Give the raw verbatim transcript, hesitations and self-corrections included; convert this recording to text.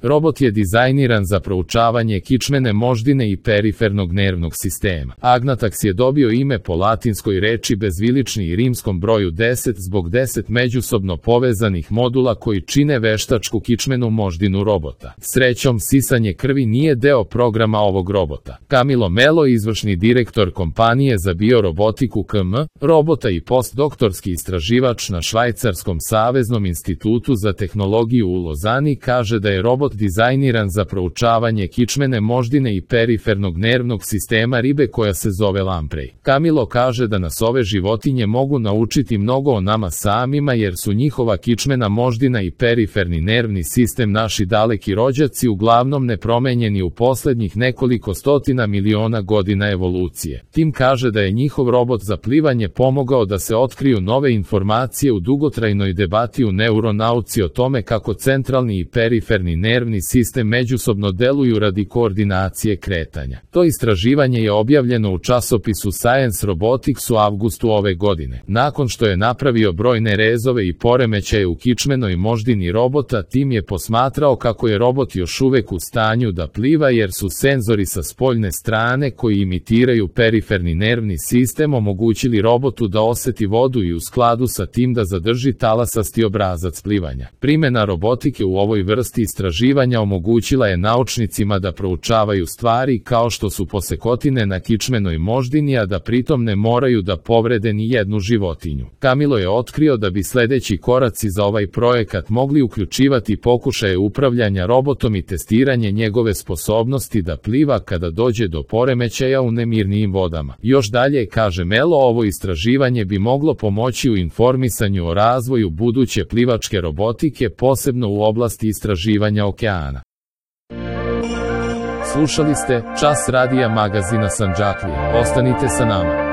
Robot je dizajniran za proučavanje kičmene moždine i perifernog nervnog sistema. Agnatax je dobio ime po latinskoj reči bezvilični i rimskom broju deset zbog deset međusobno povezanih modula koji čine veštačku kičmenu moždinu robota. Srećom, sisanje krvi nije deo programa ovog robota. Camilo Melo, izvršni direktor kompanije za biorobotiku K M, robota i postdoktorski istraživač na Švajcarskom saveznom institutu za tehnologiju u Lozani, kaže da je robot dizajniran za proučavanje kičmene moždine i perifernog nervnog sistema ribe koja se zove lamprej. Camilo kaže da nas ove životinje mogu naučiti mnogo o nama samima jer su njihova kičmena moždina i periferni nervni sistem naši daleki rođaci uglavnom nepromenjeni u poslednjih nekoliko stotina miliona godina evolucije. Tim kaže da je njihov robot za plivanje pomogao da se otkriju nove informacije u dugotrajnoj debati u neuronauci o tome kako centralni i periferni nervni sistem međusobno deluju radi koordinacije kretanja. To istraživanje je objavljeno u časopisu Science Robotics u avgustu ove godine. Nakon što je napravio brojne rezove i poremećaje u kičmenoj moždini robota, tim je posmatrao kako je robot još uvek u stanju da pliva jer su senzori sa spoljne strane koji imitiraju periferni nervni sistem omogućili robotu da oseti vodu i u skladu sa tim da zadrži talasasti obrazac plivanja. Primjena robotike u ovoj vrsti istraživanja omogućila je naučnicima da proučavaju stvari kao što su posekotine na kičmenoj moždini, a da pritom ne moraju da povrede ni jednu životinju. Camilo je otkrio da bi sledeći koraci za ovaj projekat mogli uključivati pokušaje upravljanja robotom i testiranje njegove sposobnosti da pliva kada dođe do poremećaja u nemirnijim vodama. Još dalje, kaže Melo, ovo istraživanje bi moglo pomoći u informisanju o razvoju buduće plivačke robotike, posebno u oblasti istraživanja okeana. Slušali ste Čas radija magazina Sandžaklija. Ostanite sa nama.